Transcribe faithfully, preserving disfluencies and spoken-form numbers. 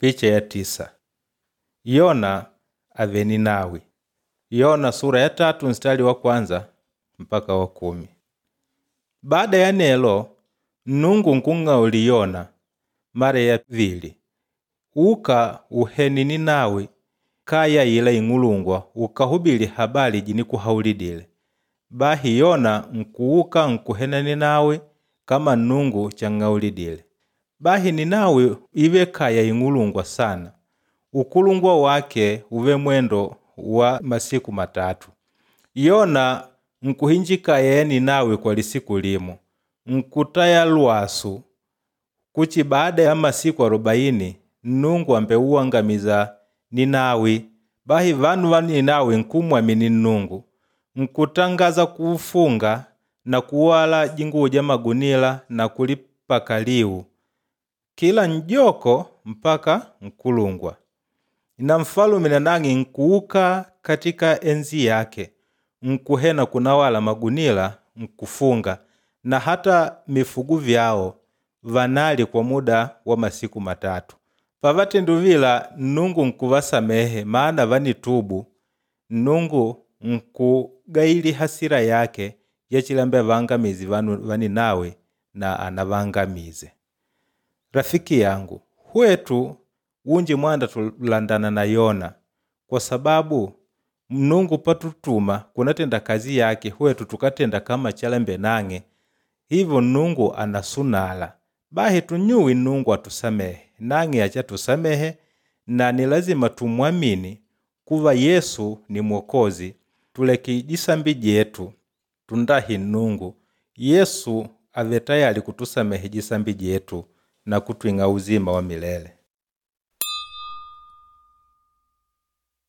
Picha ya tisa. Yona ave Ninawi. Yona sura ya tatu mstari wa kwanza mpaka wa kumi. Baada ya nelo Nnungu nkung'auli Yona mara ya vili, uka uheni Ninawi kaya ila ing'ulungwa ukahubili habari jinikuhaulidile. Bahi Yona nkuuka nkuhena Ninawi kama Nnungu chang'aulidile. Bahi Ninawi ive kaya ing'ulungwa sana. Ukulungwa wake uve mwendo wa masiku matatu. Yona nkuhinjikaya ya Ninawi kwa lisiku limo, nkutaya lwasu kuchi baada ya masiku arobaini Nnungu ambeuangamiza Ninawi. Bahi vanu va Ninawi nkumwamini Nnungu, nkutangaza kufunga na kuwala jinguwo ja magunila na kulipaka liu kila njoko mpaka nkulungwa. Na mfalume nanang'e nkuuka katika enzi yake nkuhena kunawala magunila nkufunga na hata mifugu vyao vanali kwa muda wa masiku matatu. Pavatenduvila Nnungu nkuvasamehe maana vanitubu. Nnungu nkugaili hasira yake yachilambe vangamizi vanu va Ninawi na anavangamize. Rafiki yangu, hwetu unji mwanda tulandana na Yona kwa sababu Nnungu patutuma kunatenda kazi yake hwetu tukatenda kama chalembe nang'e hivyo Nnungu anasunala. Bahi tunyuwi Nnungu atusamehe nang'e achatusamehe na ni lazima tumwamini kuva Yesu ni Mwokozi tuleke jisambi jetu tundahi Nnungu. Yesu ave tayali kutusamehe jisambi jetu na kutwing'a uzima wa milele.